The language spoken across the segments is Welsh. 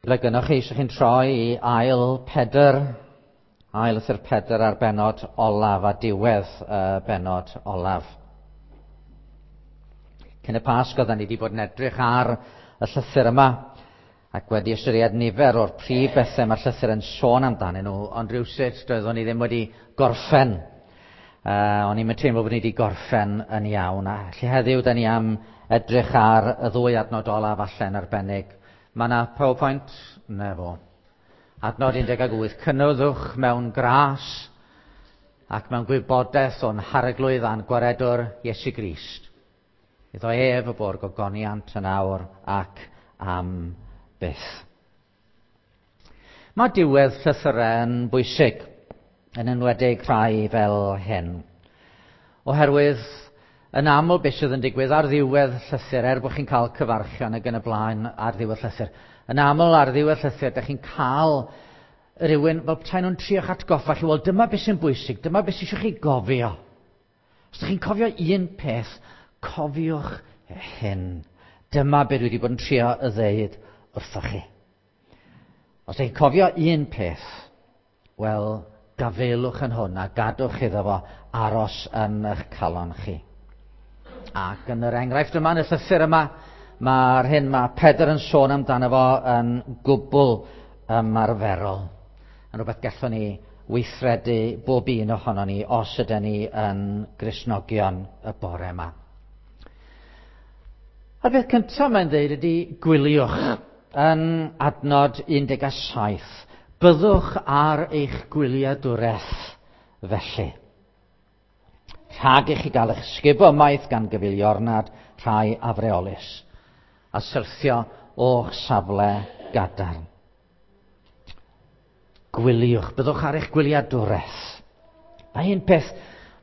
Ble gynnwch chi eisiau chi'n troi i ail Pedr, ail lythyr Pedr ar bennod olaf a diwedd y bennod olaf. Cyn y Pasg oedden ni wedi bod yn edrych ar y llythyr yma ac wedi ystyried nifer o'r prif bethau mae'r llythyr yn sôn amdanyn nhw, ond rhywsut doeddwn ni ddim wedi gorffen. O'n i'n teimlo bod ni wedi gorffen yn iawn. A lle heddiw, da ni am edrych ar y ddwy adnod olaf allan arbennig. Mae yna PowerPoint? Na fo. Adnod 18. Cynyddwch mewn gras ac mewn gwybodaeth o'n harglwydd a'n gwaredwr Iesu Grist. Iddo ef y bo'r gogoniant yn awr ac am byth. Mae diwedd llythyrau yn bwysig, yn enwedig rhai fel hyn. Oherwydd yn aml beth sydd yn digwydd ar ddiwedd llythyr, er bod chi'n cael cyfarchion ac yn y blaen ar ddiwedd llythyr, yn aml ar ddiwedd llythyr, da chi'n cael rhywun fel petai nhw'n trio'ch atgoffa chi, wel dyma beth sy'n bwysig, dyma beth sy'n eisiau chi gofio. Os ydych chi'n cofio un peth, cofiwch hyn. Dyma beth dwi wedi bod yn trio y ddeud wrthoch chi. Os ydych chi'n cofio un peth, wel, gafaelwch yn hwn a gadwch iddo fo aros yn eich calon chi. Ac yn yr enghraifft yma, yn y llythyr yma, mae'r hyn mae Pedr yn sôn amdano fo yn gwbl ymarferol. Yn rhywbeth gallwn ni weithredu bob un ohono ni os ydyn ni yn Gristnogion y bore yma. A'r peth cyntaf mae'n dweud ydy gwyliwch yn adnod 17. Byddwch ar eich gwyliadwraeth felly. Rhag i chi gael eich sgubo ymaith gan gyfeiliornad rhai afreolus, a syrthio o'ch safle gadarn. Gwyliwch, byddwch ar eich gwyliadwraeth. Mae un peth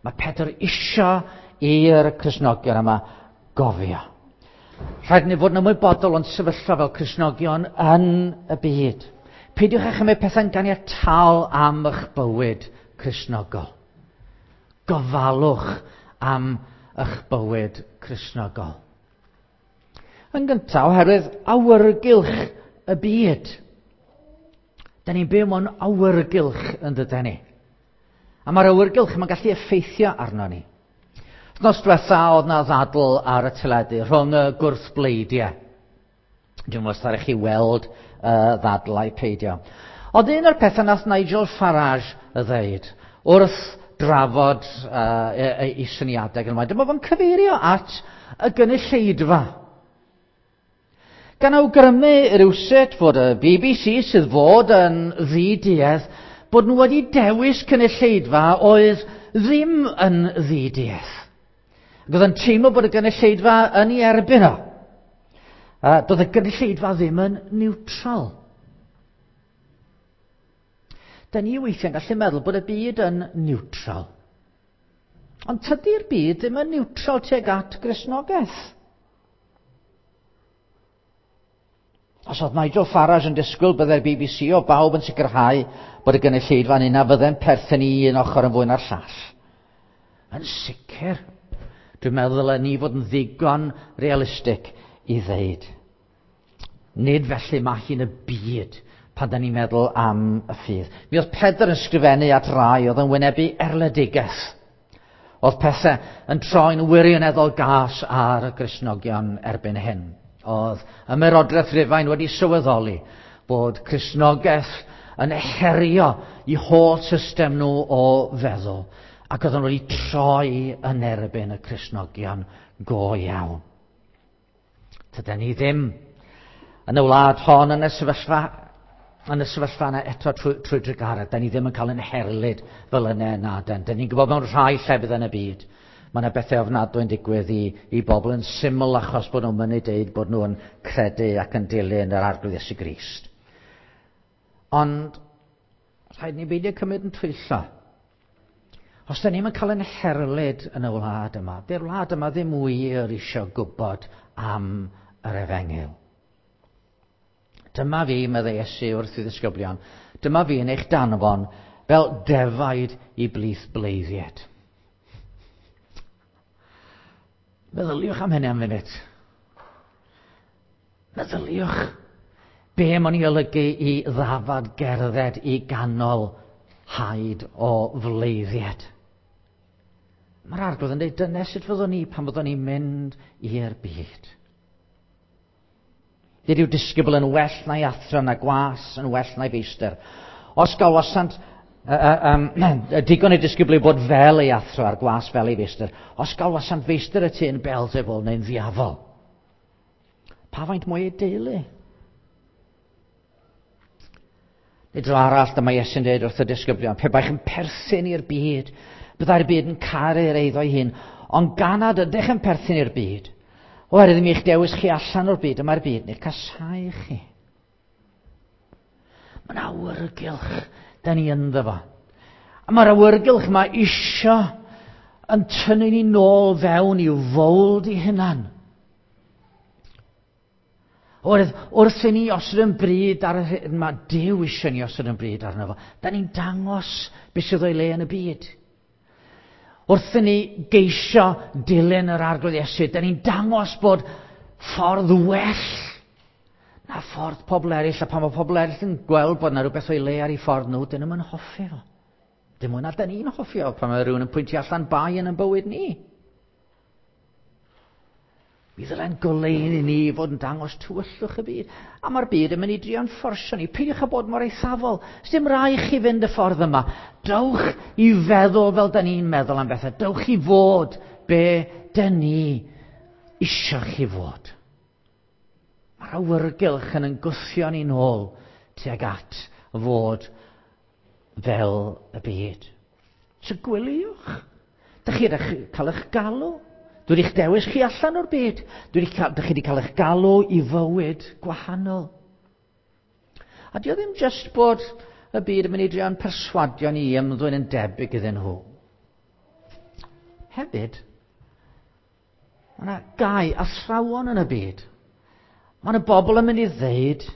mae Pedr isio i'r Cristnogion yma gofio. Rhaid ni fod yn ymwybodol o'n sefyllfa fel Cristnogion yn y byd. Peidiwch â chymryd pethau'n ganiataol am eich bywyd Cristnogol. Gofalwch am eich bywyd Cristnogol. Yn gyntaf, oherwydd awyrgylch y byd. Da ni'n byw mewn awyrgylch yn dydyn ni. A mae'r awyrgylch yma'n gallu effeithio arno ni. Nos diwetha oedd na ddadl ar y teledu rhwng y gwrthbleidiau. Dwi'n meddwl os chi weld ddadl a'i peidio. Ond un o'r pethau nath Nigel Farage y ddeud wrth drafod ei syniadau gan ymlaen, dyma fo'n cyfeirio at y gynulleidfa. Gan awgrymu rywsut fod y BBC sydd fod yn ddiduedd, bod nhw wedi dewis cynulleidfa oedd ddim yn ddiduedd. Ac oedd yn teimlo bod y gynulleidfa yn ei erbyn o. Doedd y gynulleidfa ddim yn neutral. Da ni weithiau'n gallu meddwl bod y byd yn neutral. Ond tydi'r byd ddim yn neutral tuag at Gristnogaeth. Os oedd Nigel Farage yn disgwyl byddai'r BBC o bawb yn sicrhau bod y gynulleidfa'n un a fydde'n perthyn i un ochr yn fwy na'r llall. Yn sicr, dwi'n meddwl ddylen ni fod yn ddigon realistig i ddeud. Nid felly mae hi'n y byd pan da ni'n meddwl am y ffydd. Mi oedd Pedr yn sgrifennu at rai oedd yn wynebu erledigaeth. Oedd pethau yn troi'n wirioneddol gas ar y Gristnogion erbyn hyn. Oedd ymerodraeth Rufain wedi sylweddoli bod Cristnogaeth yn herio i holl system nhw o feddwl, ac oedd nhw wedi troi yn erbyn y Cristnogion go iawn. Tyden ni ddim yn y wlad hon yn y sefyllfa yn y sefyllfa yna eto trwy drugaredd. Da ni ddim yn cael yn herlid fel yna na den. Da ni'n gwybod mewn rhai llefydd yn y byd, mae yna bethau ofnadwy yn digwydd i bobl yn syml achos bod nhw'n mynnu deud bod nhw'n credu ac yn dilyn yr Arglwydd Iesu Grist. Ond rhaid ni beidio cymryd yn twyllo. Os da ni'n cael yn herlid yn y wlad yma, dy'r wlad yma ddim wir eisiau gwybod am yr efengyl. Dyma fi, meddai Iesu wrth i ddisgyblion, dyma fi yn eich danfon fel defaid i blith bleiddied. Meddyliwch am hynny am funud. Meddyliwch. Be mae'n ei olygu i ddafad gerdded i ganol haid o fleiddiad. Mae'r Arglwydd yn dweud, dyna sut fyddwn ni pan fyddwn ni'n mynd i'r byd. Nid yw disgybl yn well na'i athro na gwas yn well na'i feistr. Os galwasant digon i disgybl i bod fel ei athro a'r gwas fel ei feistr. Os galwasant feistr y tŷ yn Beelzebul neu'n ddiafol, pa faint mwy ei deulu? Neu dro arall, dyma Iesu'n dweud wrth y disgyblion, pe baech yn perthyn i'r byd, byddai'r byd yn caru'r eiddo ei hun, ond gan nad ydych yn perthyn i'r byd, oherwydd mi eich dewis chi allan o'r byd, y mae'r byd yn eich casáu chi. Mae'n awyrgylch da ni ynddo fo. A mae'r awyrgylch yma isio yn tynnu ni nôl fewn i'w fowld i hunan. Oherwydd wrth i ni osod yn bryd ar yr hyn mae Duw eisiau ni osod yn bryd arno fo, da ni'n dangos beth sydd o'i le yn y byd. Wrth i ni geisio dilyn yr Arglwydd Iesu, da ni'n dangos bod ffordd well na ffordd pobl eraill, a pan mae pobl eraill yn gweld bod yna rhywbeth o'i le ar ei ffordd nhw, dyn nhw'n hoffi fo. Dim mwy na da ni'n hoffi o pan mae rhywun yn pwyntio allan bai yn ein bywyd ni. Mi ddyle'n goleuni ni fod yn dangos tywyllwch y byd. A mae'r byd yn mynd i drio'n fforsio ni. Peidiwch â bod mor eithafol. Sdim rai chi fynd y ffordd yma. Dewch i feddwl fel da ni'n meddwl am bethau. Dewch i fod be da ni isio chi fod. Mae'r awyrgylch yn yn gwthio ni'n ôl tuag at fod fel y byd. So gwyliwch. Dych chi wedi cael eich galw. Dwi wedi'ch dewis chi allan o'r byd. Dwi wedi cael, dych chi wedi cael eich galw i fywyd gwahanol. A di o ddim just bod y byd yn mynd i drio'n perswadio ni i ymddwyn yn debyg iddyn nhw. Hefyd, mae yna gau athrawon yn y byd. Mae yna bobl yn mynd i ddeud,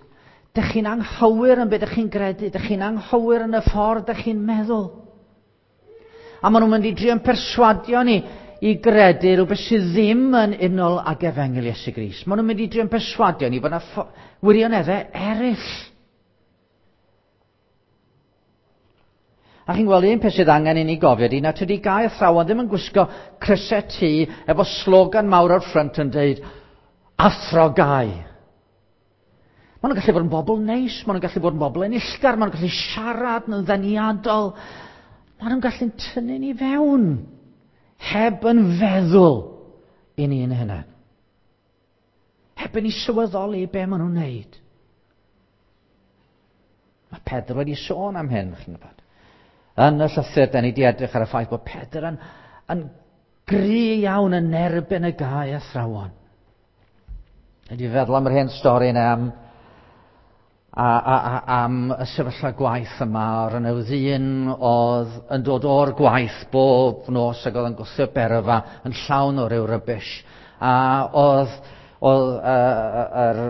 dych chi'n anghywir yn beth dych chi'n gredu, dych chi'n anghywir yn y ffordd dych chi'n meddwl. A maen nhw'n mynd i drio'n perswadio ni i gredu rhywbeth sydd ddim yn unol ag efengyl Iesu Grist. Maen nhw'n mynd i drio'n perswadio ni bod yna wirioneddau eraill. A chi'n gweld un peth sydd angen i ni gofio di, na tydi gau athrawon ddim yn gwisgo crysau T efo slogan mawr o'r ffrynt yn deud, Athro Gau. Maen nhw'n gallu bod yn bobl neis, maen nhw'n gallu bod yn bobl enillgar, maen nhw'n gallu siarad yn ddeniadol. Maen nhw'n gallu tynnu ni fewn, heb yn feddwl i ni'n hunain. Heb yn i sylweddoli be maen nhw'n neud. Mae Pedr wedi sôn am hyn, chi'n gwybod. Yn y llythyr, da ni wedi edrych ar y ffaith bod Pedr yn, yn gry iawn yn erbyn y gau athrawon. Ydy feddwl am yr hen stori yna am, a, a, a, am y sefyllfa gwaith yma o'r yna ddyn oedd yn dod o'r gwaith bob nos ac oedd yn gwthio berfa yn llawn o ryw rybys. A oedd, oedd yr,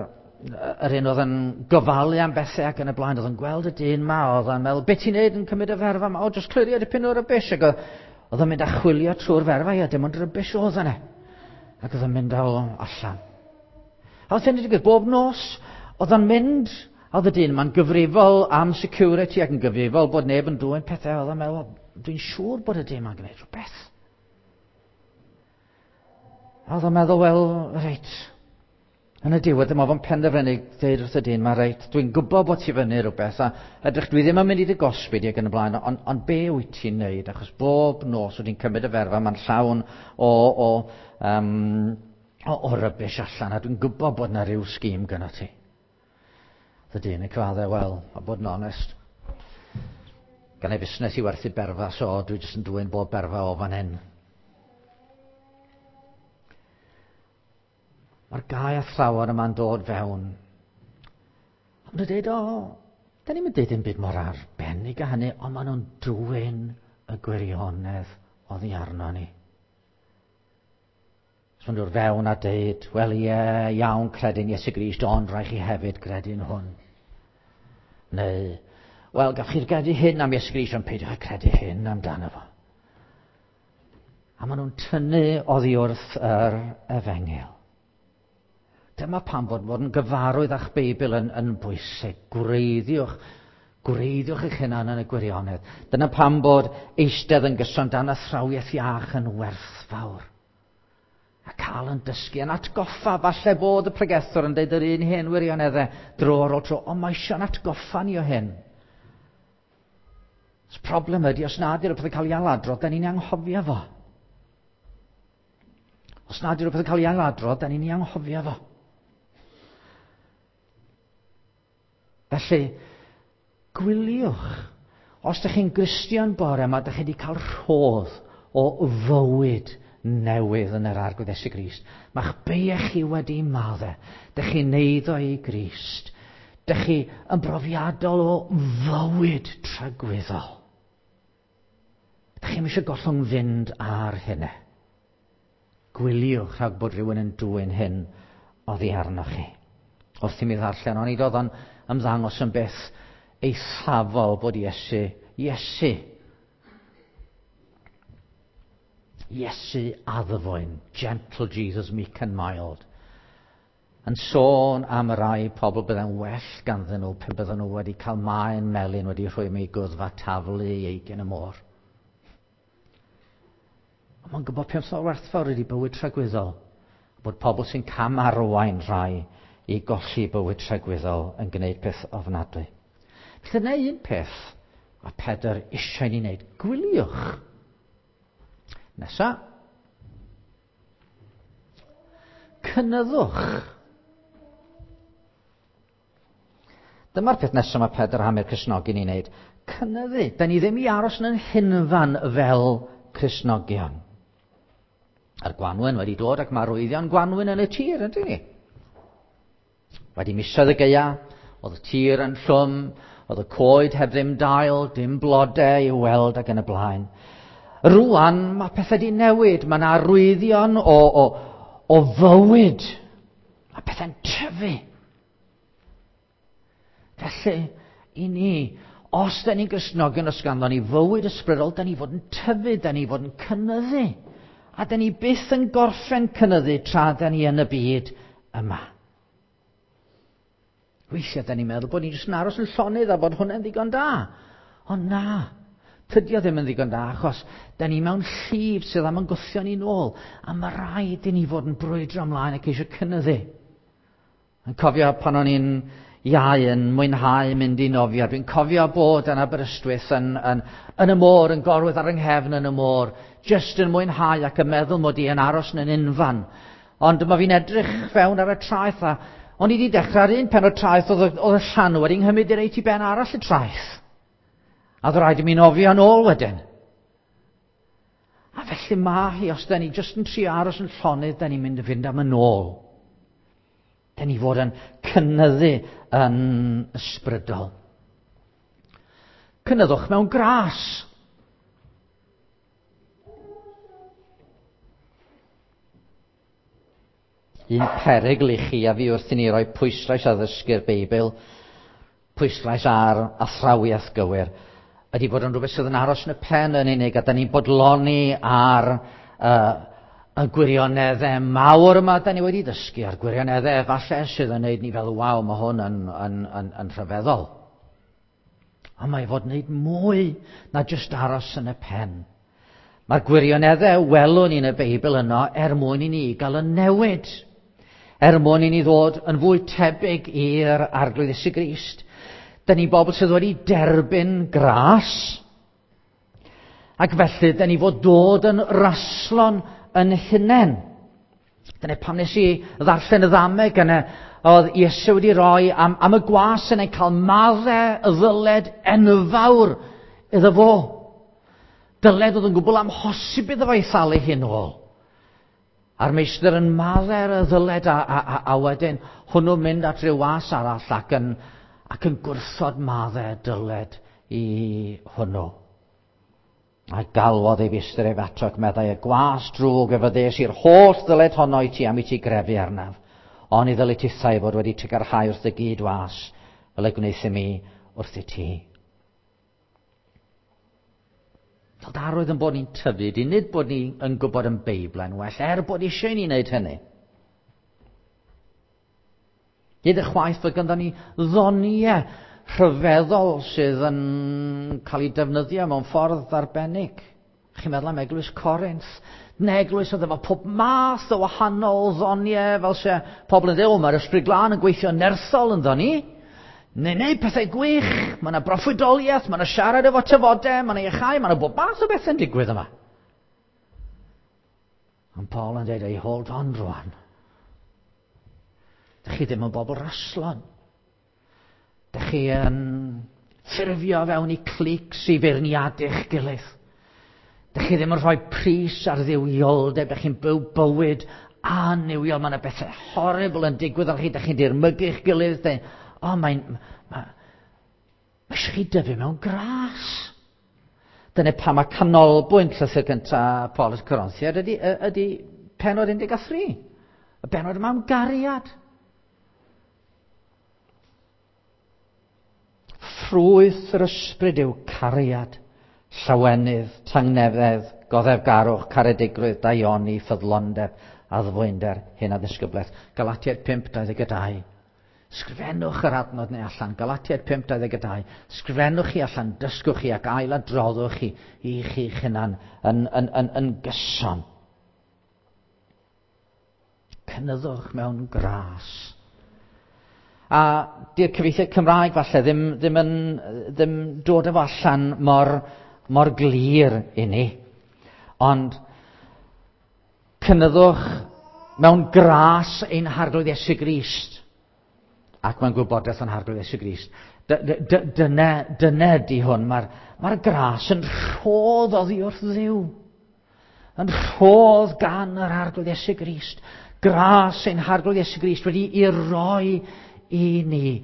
yr un oedd yn gofalu am bethau ac yn y blaen, oedd yn gweld y dyn ma, oedd yn meddwl, beth ti'n neud yn cymryd y ferfa ma? O, jyst clirio dipyn o rybys. Ac oedd, oedd yn mynd a chwilio trwy'r ferfa, ia, dim ond rybys oedd yna. Ac oedd yn mynd â o allan. A oedd hyn wedi digwydd bob nos, oedd o'n mynd, oedd y dyn yma'n gyfrifol am security ac yn gyfrifol bod neb yn dwyn pethau, oedd o'n meddwl, dwi'n siŵr bod y dyn yma'n gwneud rhywbeth. A oedd o'n meddwl, wel, reit, yn y diwedd, dyma fo'n penderfynu dweud wrth y dyn, mae reit, dwi'n gwybod bod ti fyny rhywbeth, a edrych, dwi ddim yn mynd i dy gosbi di ac yn y blaen, ond on be wyt ti'n neud? Achos bob nos wyt ti'n cymryd y ferfa, mae'n llawn o, o, um, o, o rybys allan, a dwi'n gwybod bod yna rhyw sgîm gyda ti. Y dyn yn cyfadde, wel, a bod yn onest, gan ei fusnes i werthu berfa, so dwi jyst yn dwyn bob berfa o fan hyn. Mae'r gau athrawon yma'n dod fewn. Ond nhw'n dweud, o, da ni'n mynd dweud dim byd mor arbennig a hynny, ond maen nhw'n dwyn y gwirionedd oddi arno ni. So maen nhw'n fewn a deud, wel ie, iawn, credin Iesu Grist, ond rhaid chi hefyd gredu'n hwn. Neu, wel, gallwch chi'r gredu hyn am Iesu Grist, ond peidiwch â credu hyn amdano fo. A maen nhw'n tynnu oddi wrth yr efengyl. Dyma pam fod yn gyfarwydd â'ch Beibl yn bwysig. Gwreiddiwch eich hunan yn y gwirionedd. Dyna pam bod eistedd yn gyson dan athrawiaeth iach yn werthfawr. A cael yn dysgu, yn atgoffa, falle bod y pregethwr yn deud yr un hen wirioneddau dro ar ôl tro, ond mae eisiau'n atgoffa ni o hyn. Y problem ydy, os nad yw'r peth yn cael ei ailadrodd, da ni'n anghofio fo. Os nad yw'r peth yn cael ei ailadrodd, da ni'n anghofio fo. Felly, gwyliwch. Os ydych chi'n Gristion bore yma, ydych chi wedi cael rhodd o fywyd newydd yn yr Arglwydd Iesu Grist. Mae'ch beiau chi wedi maddau. Dych chi'n eiddo i Grist. Dych chi yn brofiadol o fywyd tragwyddol. Dych chi'm eisiau gollwng fynd ar hynny. Gwyliwch rhag bod rhywun yn dwyn hyn oddi arnoch chi. Wrth i mi ddarllen, ond nid oedd o'n ymddangos yn beth eithafol bod Iesu addfwyn, gentle Jesus, meek and mild, yn sôn am y rai pobl bydde'n well ganddyn nhw pe bydden nhw wedi cael maen melyn wedi rhwymo i gwddf a taflu i eigin y môr. Ond mae'n gwybod peth mor werthfawr ydy bywyd tragwyddol, bod pobl sy'n cam arwain rhai i golli bywyd tragwyddol yn gwneud peth ofnadwy. Felly dyna un peth a Pedr eisiau ni wneud. Gwyliwch. Nesa. Cynyddwch. Dyma'r peth nesaf mae Pedr am i'r Cristnogion i wneud. Cynyddu. Da ni ddim i aros yn hunfan fel Cristnogion. A'r gwanwyn wedi dod ac mae arwyddion gwanwyn yn y tir, yndyn ni? Wedi misoedd y gaea, oedd y tir yn llwm, oedd y coed heb ddim dail, dim blodau i'w weld ac yn y blaen. Rwan, mae pethau wedi newid, mae yna arwyddion o fywyd. Mae pethau'n tyfu. Felly, i ni, os da ni'n Gristnogion, os ganddo ni fywyd ysbrydol, da ni fod yn tyfu, da ni fod yn cynyddu. A da ni byth yn gorffen cynyddu tra da ni yn y byd yma. Weithiau da ni'n meddwl bod ni'n jyst yn aros yn llonydd a bod hwnna'n ddigon da. Ond na, tydi o ddim yn ddigon da, achos da ni mewn llif sydd am yn gwthio ni nôl, a mae rhaid i ni fod yn brwydro ymlaen ac eisiau cynyddu. Yn cofio pan o'n i'n iau yn mwynhau mynd i nofio, dwi'n cofio bod yn Aberystwyth yn y môr, yn gorwedd ar yng nghefn yn y môr, jyst yn mwynhau ac yn meddwl mod i yn aros yn unfan. Ond dyma fi'n edrych fewn ar y traeth a o'n i wedi dechrau ar un pen o'r traeth, oedd y llanw wedi nghymryd i reit i ben arall y traeth. A oedd rhaid i mi nofio yn ôl wedyn. A felly mae hi, os da ni jyst yn trio aros yn llonydd, da ni'n mynd i fynd am yn ôl. Da ni fod yn cynyddu yn ysbrydol. Cynyddwch mewn gras. Un perygl i chi a fi wrth i ni roi pwyslais ar ddysgu'r Beibl, pwyslais ar athrawiaeth gywir, ydy bod yn rhywbeth sydd yn aros yn y pen yn unig, a da ni'n bodloni ar y gwirioneddau mawr yma da ni wedi dysgu, a'r gwirioneddau efallai sydd yn neud ni fel, waw, mae hwn yn rhyfeddol. Ond mae fod yn neud mwy na jyst aros yn y pen. Mae'r gwirioneddau welwn ni yn y Beibl yno er mwyn i ni gael y newid. Er mwyn i ni ddod yn fwy tebyg i'r Arglwydd Iesu Grist. Da ni bobl sydd wedi derbyn gras. Ac felly, da ni fod dod yn raslon yn hunain. Dyna pam nes i ddarllen y ddameg yna, oedd Iesu wedi rhoi am y gwas yn ei cael maddau y ddyled enfawr iddo fo. Dyled oedd yn gwbl amhosib iddo fo ei thalu hyn ôl. A'r meistr yn maddau'r y ddyled a wedyn hwnnw mynd at ryw was arall ac yn gwrthod maddau dyled i hwnnw. A galwodd ei feistr ef ato ac meddai, y gwas drwg ef ddes i'r holl ddyled honno i ti am i ti grefu arnaf. Ond i ddyled tithau fod wedi trugarhau wrth y gyd was, fel y gwnaeth i mi wrth i ti. Fel darwydd yn bod ni'n tyfu, di nid bod ni yn gwybod yn Beibl yn well, er bod eisiau ni wneud hynny. Hyd y chwaith fod ganddo ni ddoniau rhyfeddol sydd yn cael ei defnyddio mewn ffordd arbennig. Chi'n meddwl am eglwys Corinth? Neu eglwys oedd efo pob math o wahanol ddoniau, fel se pobl yn dweud, o, mae'r Ysbryd Glân yn gweithio nerthol ynddo ni. Neu neu pethau gwych, mae yna broffwydoliaeth, mae yna siarad efo tafodau, mae yna iachau, mae yna bob math o bethau'n digwydd yma. Ond Paul yn dweud, ei hold on rwan. Dych chi ddim yn bobl raslon. Dych chi yn ffurfio fewn i clics i feirniadu'ch gilydd. Dych chi ddim yn rhoi pris ar dduwioldeb, dych chi'n byw bywyd annuwiol. Mae yna bethau horrible yn digwydd ar chi, dych chi'n dirmygu'ch gilydd. Dych, o, mae'n... Mae, mae eisiau chi dyfu mewn gras. Dyna pam mae canolbwynt llythyr gyntaf Paul at Corinthiaid ydy, ydy pennod 13. Y bennod yma am gariad. Ffrwyth yr ysbryd yw cariad, llawenydd, tangnefedd, goddefgarwch, caredigrwydd, daioni, ffyddlondeb, addfwynder, hyn a ddisgyblaeth. Galatiaid 5:22. Sgrifennwch yr adnod neu allan. Galatiaid 5:22. Sgrifennwch chi allan, dysgwch chi ac ailadroddwch chi i chi'ch hunan yn, yn, yn, yn gyson. Cynyddwch mewn gras. A di'r cyfieithiad Cymraeg falle ddim, ddim, yn, ddim dod efo allan mor, mor glir i ni. Ond cynyddwch mewn gras ein Harglwydd Iesu Grist. Ac mewn gwybodaeth o'n Harglwydd Iesu Grist. Dyna, dyna di hwn. Mae'r mae gras yn rhodd oddi wrth Dduw. Yn rhodd gan yr Arglwydd Iesu Grist. Gras ein Harglwydd Iesu Grist wedi i roi i ni.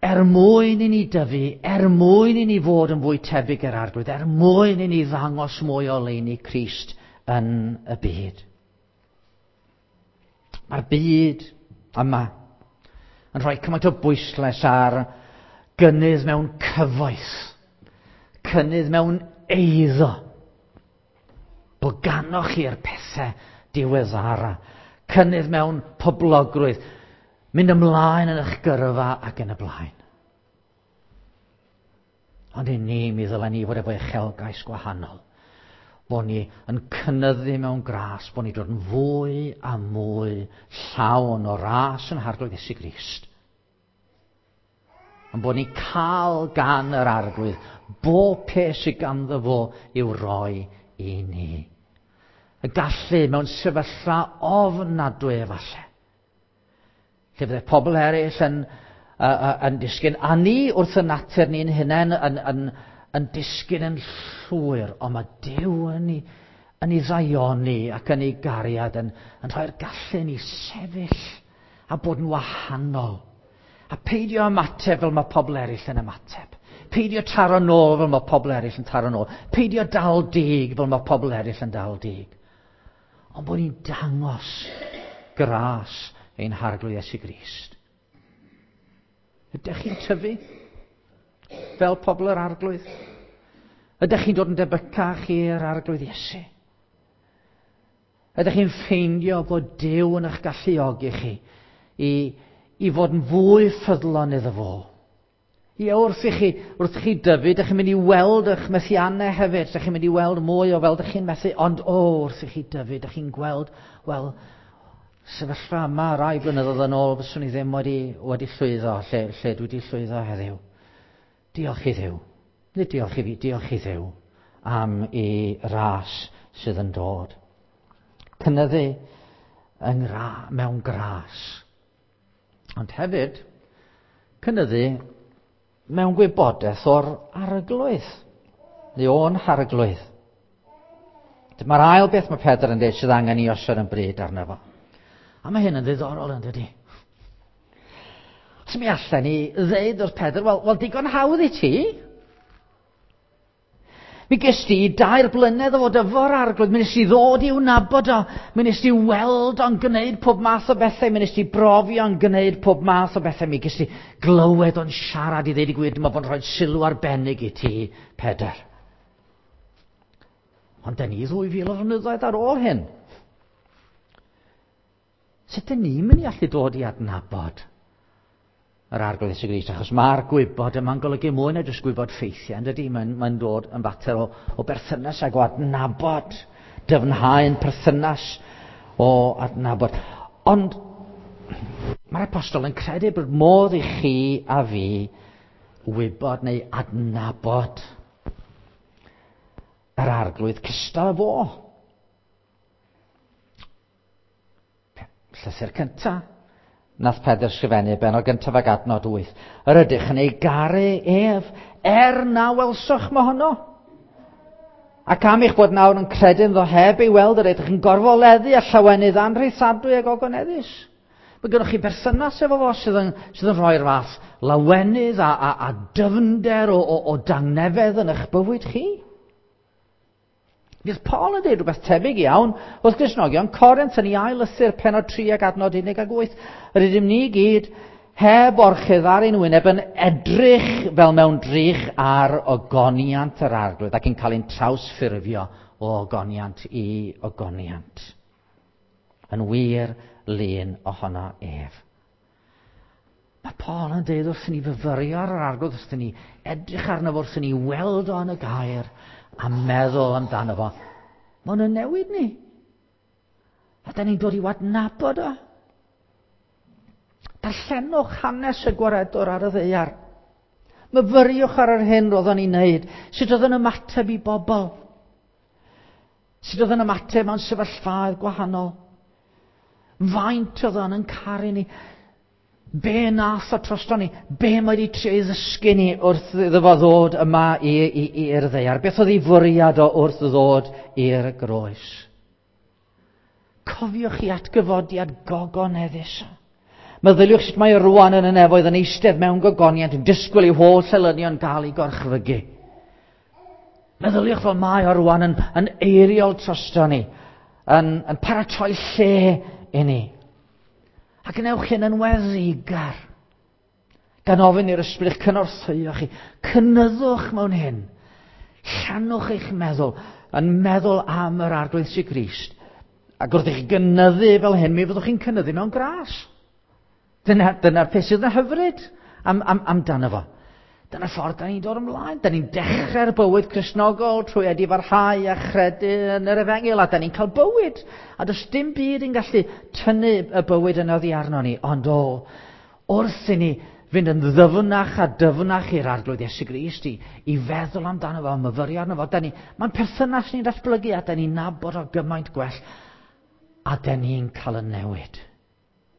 Er mwyn i ni dyfu, er mwyn i ni fod yn fwy tebyg i'r Arglwydd, er mwyn i ni ddangos mwy o oleuni Crist yn y byd. Mae'r byd yma yn rhoi cymaint o bwyslais ar gynnydd mewn cyfoeth, cynnydd mewn eiddo. Bod ganoch chi'r pethau diweddara, cynnydd mewn poblogrwydd, mynd ymlaen yn eich gyrfa ac yn y blaen. Ond i ni, mi ddylen ni fod efo uchelgais gwahanol. Bod ni yn cynyddu mewn gras, bod ni dod yn fwy a mwy llawn o ras yn Harglwydd Iesu Grist. Ond bod ni cael gan yr Arglwydd bob peth sydd ganddo fo i'w roi i ni. Y gallu mewn sefyllfa ofnadwy efallai. Lle fydde pobl eraill yn, uh, yn disgyn, a ni wrth y natur ni'n hunain yn, yn, yn disgyn yn llwyr, ond mae Duw yn ei, yn ei ddaioni ac yn ei gariad yn, yn rhoi'r gallu ni sefyll a bod yn wahanol. A peidio ymateb fel mae pobl eraill yn ymateb. Peidio taro nôl fel mae pobl eraill yn taro nôl. Peidio dal dig fel mae pobl eraill yn dal dig. Ond bod ni'n dangos gras ein Harglwydd Iesu Grist. Ydych chi'n tyfu fel pobl yr Arglwydd? Ydych chi'n dod yn debycach i'r Arglwydd Iesu? Ydych chi'n ffeindio bod Duw yn eich galluogi chi i, i fod yn fwy ffyddlon iddo fo? Ie, wrth i chi, wrth i chi dyfu, ydych chi'n mynd i weld eich methiannau hefyd, ydych chi'n mynd i weld mwy o fel ydych chi'n methu, ond o, wrth i chi dyfu, ydych chi'n gweld, wel, sefyllfa yma rai blynyddoedd yn ôl, fyswn i ddim wedi, wedi llwyddo lle, lle dwi wedi llwyddo heddiw. Diolch i Dduw. Nid diolch i fi, diolch i Dduw am i ras sydd yn dod. Cynyddu yng ngra, mewn gras. Ond hefyd, cynyddu mewn gwybodaeth o'r Arglwydd, neu o'n Harglwydd. Dyma'r ail beth mae Pedr yn dweud sydd angen i osod yn bryd arno fo. A mae hyn yn ddiddorol yn dydy. Os mi allan ni ddeud wrth Pedr, wel, wel digon hawdd i ti. Mi ges di 3 blynedd o fod efo'r Arglwydd, mi nes i ddod i'w nabod o, mi nes di weld o'n gwneud pob math o bethau, mi nes di brofi o'n gwneud pob math o bethau, mi ges di glywed o'n siarad i ddeud y gwir, dyma fo'n rhoi sylw arbennig i ti, Pedr. Ond da ni 2000 o flynyddoedd ar ôl hyn. Sut dyn ni'n mynd i allu dod i adnabod yr Arglwydd Iesu Grist, achos mae'r gwybod yma'n golygu mwy na jyst gwybod ffeithiau, yn dydy? Mae'n dod yn fater o berthynas ag o adnabod, dyfnhau'n perthynas o adnabod. Ond mae'r apostol yn credu bod modd i chi a fi wybod neu adnabod yr Arglwydd cystal â fo. Llythyr cyntaf nath Pedr sgrifennu, bennod gyntaf ag adnod 8. Yr ydych yn ei garu ef, er na welsoch mohono. Ac am eich bod nawr yn credu ynddo heb ei weld, yr ydych yn gorfoleddu a llawenydd anrheithadwy ag ogoneddus. Mae gennych chi berthynas efo fo sydd yn rhoi'r fath lawenydd a dyfnder o dangnefedd yn eich bywyd chi. Bydd Paul yn dweud rhywbeth tebyg iawn wrth Gristnogion Corinth yn ei ail lythyr pennod 3 ag adnod 18. Yr ydym ni gyd heb orchudd ar ein wyneb yn edrych fel mewn drych ar ogoniant yr Arglwydd ac yn cael ein trawsffurfio o ogoniant i ogoniant. Yn wir lun ohono ef. Mae Paul yn dweud wrthyn ni fyfyrio ar yr Arglwydd, wrthyn ni edrych arno fo, wrthyn ni weld o yn y gair a meddwl amdano fo. Mae hwn yn newid ni. A da ni'n dod i'w adnabod o. Darllenwch hanes y gwaredwr ar y ddaear. Myfyriwch ar yr hyn roedd o'n ei wneud. Sut oedd yn ymateb i bobl. Sut oedd yn ymateb mewn sefyllfaoedd gwahanol. Faint oedd o'n yn caru ni. Be nath o drosto ni? Be mae wedi trio ei ddysgu ni wrth iddo fo ddod yma i'r ddaear? Beth oedd ei fwriad o wrth ddod i'r groes? Cofiwch i atgyfodiad gogoneddus. Meddyliwch sut mae rwan yn y nefoedd yn eistedd mewn gogoniant yn disgwyl i'w holl elynion gael ei gorchfygu. Meddyliwch fel mae o rwan yn eiriol drosto ni, yn paratoi lle i ni. A gwnewch hyn yn weddigar. Gan ofyn i'r ysbryd eich cynorthwyo chi. Cynyddwch mewn hyn. Llanwch eich meddwl yn meddwl am yr Arglwydd Iesu Grist. Ac wrth i chi gynyddu fel hyn, mi fyddwch chi'n cynyddu mewn gras. Dyna'r peth sydd yn hyfryd amdano fo. Dyna'r ffordd da ni'n dod ymlaen. Da ni'n dechrau'r bywyd Cristnogol trwy edifarhau a chredu yn yr efengyl, a da ni'n cael bywyd. A does dim byd yn gallu tynnu y bywyd yna oddi arno ni. Ond o, wrth i ni fynd yn ddyfnach a dyfnach i'r Arglwydd Iesu Grist i feddwl amdano fo, myfyrio arno fo, mae'n perthynas ni'n datblygu a da ni'n nabod o gymaint gwell, a da ni'n cael y newid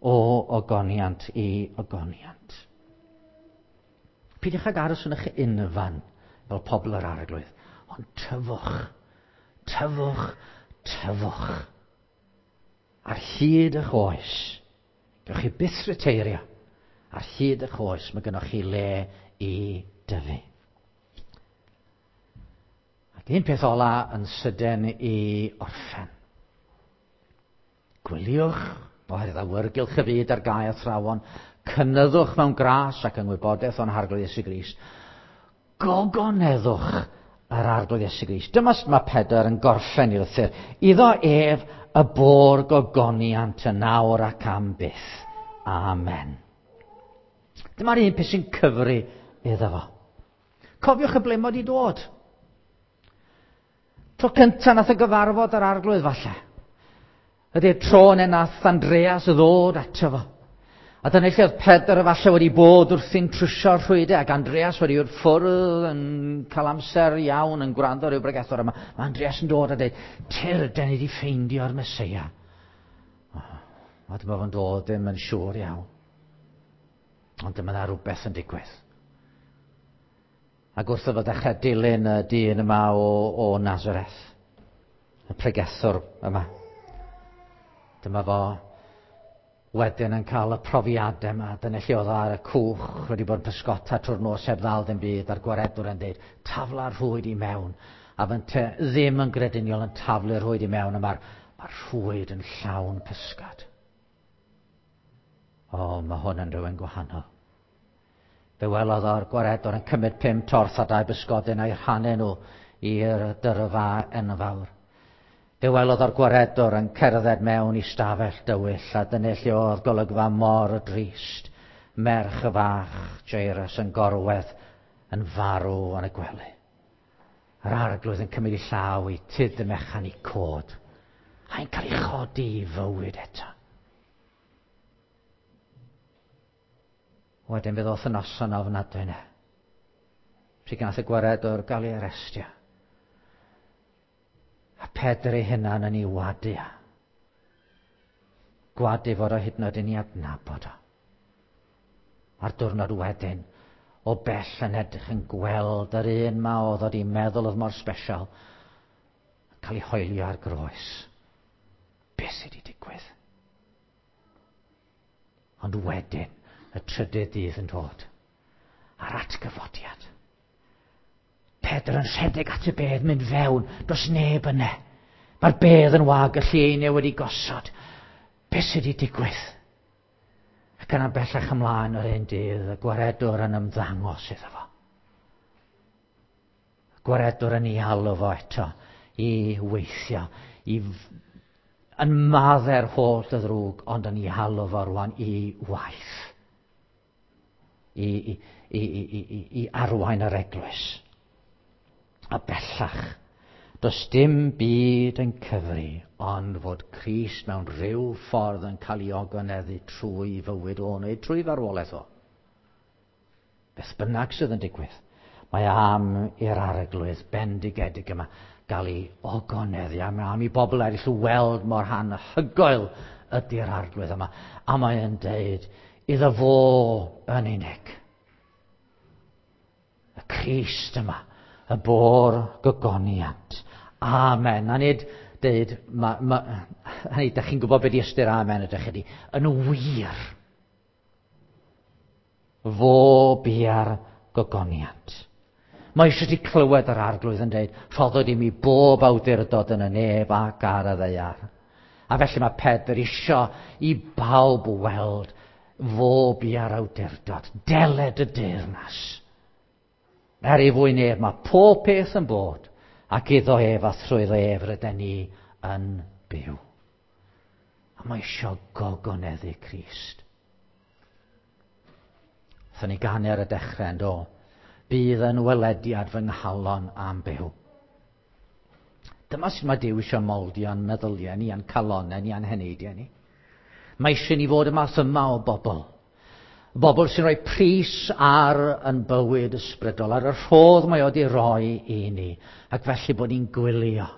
o ogoniant i ogoniant. Peidiwch ag aros yn eich unfan fel pobl yr Arglwydd, ond tyfwch, tyfwch, tyfwch. Ar hyd eich oes, gewch chi byth reteirio, ar hyd eich oes mae gennych chi le i dyfu. Ac un peth ola yn sydyn i orffen. Gwyliwch, oherwydd awyrgylch y byd ar gae athrawon, cynyddwch mewn gras ac yng ngwybodaeth o'n Harglwydd Iesu Grist. Gogoneddwch yr Arglwydd Iesu Grist. Dyma sut mae Pedr yn gorffen i lythyr. Iddo ef y bo'r gogoniant yn awr ac am byth. Amen. Dyma'r un peth sy'n cyfri iddo fo. Cofiwch y ble mae wedi dod. Tro cyntaf nath y gyfarfod yr Arglwydd falle. Ydy'r tro yna nath Andreas ddod ato fo. A dyna lle oedd Pedr efallai wedi bod wrthi'n trwsio'r rhwydau, ac Andreas wedi bod ffwrdd yn cael amser iawn yn gwrando ar ryw bregethwr yma. Mae Andreas yn dod a dweud, Tyr, den ni wedi ffeindio'r Meseia. A dyma fo'n dod ddim yn siŵr iawn. Ond dyma dda rhywbeth yn digwydd. Ac wrth iddo ddechrau dilyn y dyn yma o Nazareth, y pregethwr yma. Dyma fo wedyn yn cael y profiadau yma. Dyna lle oedd ar y cwch wedi bod yn pysgota trwy'r nos heb ddal dim byd, a'r gwaredwr yn dweud, tafla'r rhwyd i mewn. A fynte ddim yn grediniol yn taflu'r rhwyd i mewn, a mae'r rhwyd yn llawn pysgod. O, mae hwn yn rhywun gwahanol. Fe welodd o'r gwaredwr yn cymryd 5 torth a 2 bysgodyn a'i rhannu nhw i'r dyrfa enfawr. Fe welodd o'r gwaredwr yn cerdded mewn i stafell dywyll, a dyna lle oedd golygfa mor drist. Merch y fach Jairus yn gorwedd yn farw yn y gwely. Yr arglwydd yn cymryd ei llaw i tyd y mechan i cod. A'n cael ei chodi i fywyd eto. Wedyn fe ddoth y noson ofnadwy yna. Pryd gath y gwaredwr gael ei arestio. A Pedr ei hunan yn ei wadu. Gwadu fod o hyd yn oed yn ei adnabod o. A'r diwrnod wedyn, o bell yn edrych yn gweld yr un ma oedd wedi meddwl oedd mor special, yn cael ei hoelio ar groes. Beth sydd wedi digwydd? Ond wedyn, y trydydd dydd yn dod, a'r atgyfodiad. Pedr yn rhedeg at y bedd, mynd fewn, does neb yna. Mae'r bedd yn wag, y lleiniau wedi gosod. Beth sydd wedi digwydd? Ac yna bellach ymlaen yr un dydd, y gwaredwr yn ymddangos iddo fo. Y gwaredwr yn ei alw fo eto i weithio, i yn madde'r holl y ddrwg, ond yn ei alw fo rwan i waith. I arwain yr eglwys. A bellach, does dim byd yn cyfri ond fod Crist mewn rhyw ffordd yn cael ei ogoneddu trwy fywyd o neu trwy farwolaeth o. Beth bynnag sydd yn digwydd, mae am i'r arglwydd bendigedig yma gael ei ogoneddu, a mae am i bobl eraill weld mor anhygoel ydy'r arglwydd yma. A mae'n deud iddo fo yn unig. Y Crist yma, y bo'r gogoniant. Amen. A nid deud, hynny, da chi'n gwybod beth i ystyr amen ydych chi. Yn wir, fo bia'r gogoniant. Mae eisiau ti clywed yr arglwydd yn deud, rhoddwyd i mi bob awdurdod yn y nef ac ar y ddaear. A felly mae Pedr isio i bawb weld fo bia'r awdurdod. Deled y deyrnas. Er ei fwy nef, mae pob peth yn bod, ac iddo ef a thrwyddo ef rydyn ni yn byw. A mae eisiau gogoneddu Crist. Wnaethon ni ganu ar y dechrau yn do. Bydd yn welediad fy nghalon am byw. Dyma sut mae Duw eisiau moldio'n meddyliau ni, a'n calonau ni, a'n heneidiau ni. Mae eisiau ni fod y math yma o bobl. Bobl sy'n rhoi pris ar yn bywyd ysbrydol, ar y rhodd mae o wedi rhoi i ni, ac felly bod ni'n gwylio.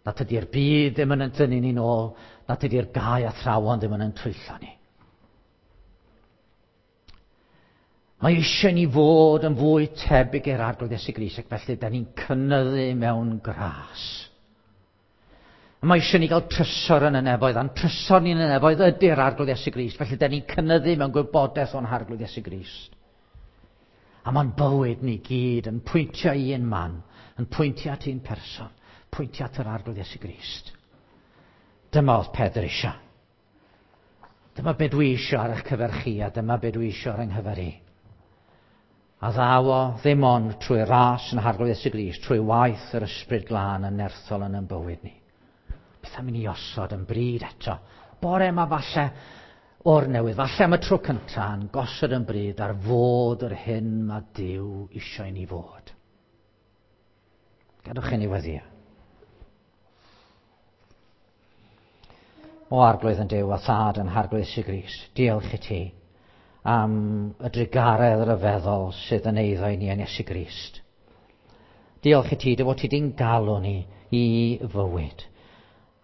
Nad ydy'r byd ddim yn tynnu ni'n ôl, nad ydy'r gau athrawon ddim yn twyllo ni. Mae eisiau ni fod yn fwy tebyg i'r Arglwydd Iesu Grist, ac felly da ni'n cynyddu mewn gras. Mae eisiau ni gael trysor yn y nefoedd, a'n trysor ni yn y nefoedd ydy'r Arglwydd Iesu Grist. Felly, da ni'n cynyddu mewn gwybodaeth o'n Harglwydd Iesu Grist. A mae'n bywyd ni gyd yn pwyntio i un man, yn pwyntio at un person, pwyntio at yr Arglwydd Iesu Grist. Dyma oedd Pedr eisiau. Dyma be dwi eisiau ar eich cyfer chi, a dyma be dwi eisiau ar yng nghyfer i. A ddaw o ddim ond trwy ras yn Harglwydd Iesu Grist, trwy waith yr Ysbryd Glân yn nerthol yn ein bywyd ni. Beth am i ni osod yn bryd eto. Bore yma falle o'r newydd, falle am y tro cyntaf, yn gosod yn bryd ar fod yr hyn mae Duw eisiau ni fod. Gadwch i ni weddio. O Arglwydd yn Duw a Thad yn Harglwydd Iesu Grist, diolch i ti am y drugaredd ryfeddol sydd yn eiddo i ni yn Iesu Grist. Diolch i ti dy fod ti di'n galw ni i fywyd,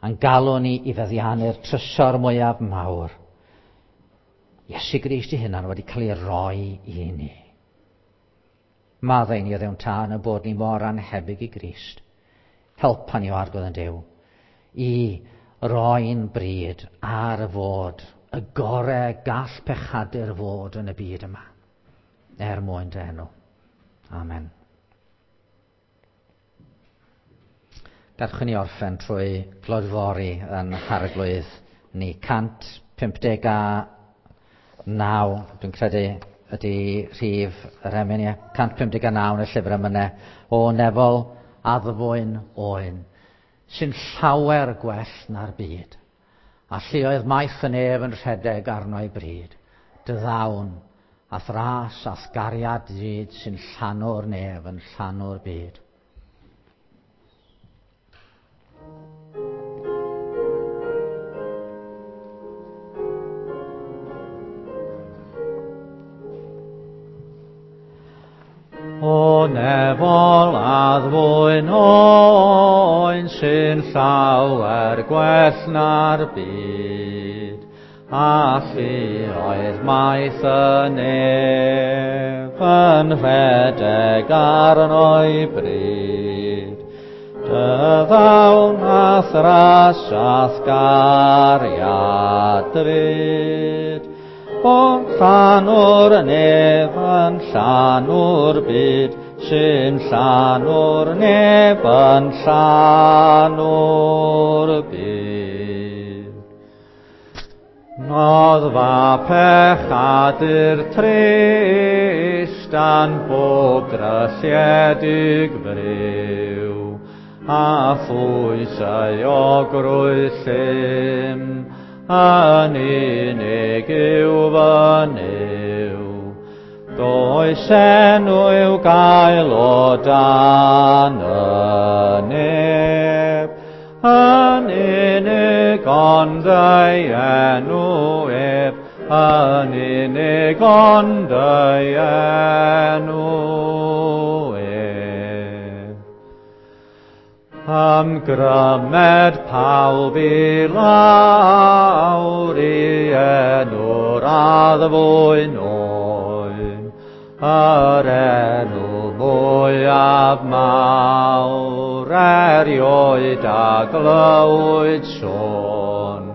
a'n galw ni i feddiannu'r trysor mwyaf mawr. Iesu Grist ei hunan wedi cael ei roi i ni. Maddau ni o ddewn tân y bod ni mor anhebyg i Grist. Helpa ni o Arglwydd yn Duw i roi'n bryd ar y fod, y gore gall pechadur fod yn y byd yma, er mwyn dy enw. Amen. Gadwch i ni orffen trwy glodfori yn Harglwydd ni. 159, dwi'n credu ydy rhif yr emyn, ie. 159 yn y llyfr emynau, o nefol addfwyn oen, sy'n llawer gwell na'r byd. A lleoedd maith y nef yn rhedeg arno ei bryd. dy ddawn, a'th ras a'th gariad drud sy'n llanw'r nef yn llanw'r byd. O nefol addfwyn oen sy'n llawer gwell na'r byd, a lluoedd maith y nef yn rhedeg arno'i bryd. Dy ddawn a'th ras a'th gariad drud, Bod llanw'r nef yn llanw'r byd, sy'n llanw'r nef yn llanw'r byd. Noddfa pechadur trist a'n bob drylliedig friw, a phwysau o grwydd llym, yn unig yw fy Nuw. Does enw i'w gael o dan y nef, yn unig ond ei enw ef, yn unig ond ei enw ef. Ymgrymed pawb i lawr i enw'r addfwyn oen, yr enw mwyaf mawr erioed a glywyd sôn.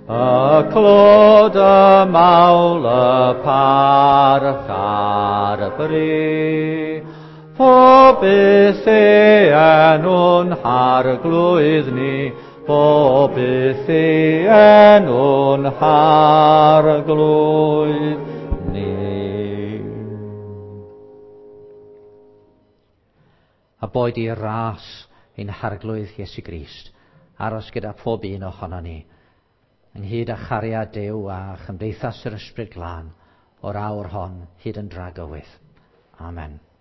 Y clod, y mawl, y parch a'r bri, Pob byth ei enw'n harglwydd ni, pob byth ei enw'n harglwydd ni. A boed i ras ein harglwydd Iesu Grist aros gyda phob un ohono ni, ynghyd â chariad Duw a chymdeithas yr Ysbryd Glân o'r awr hon hyd yn dragywydd. Amen.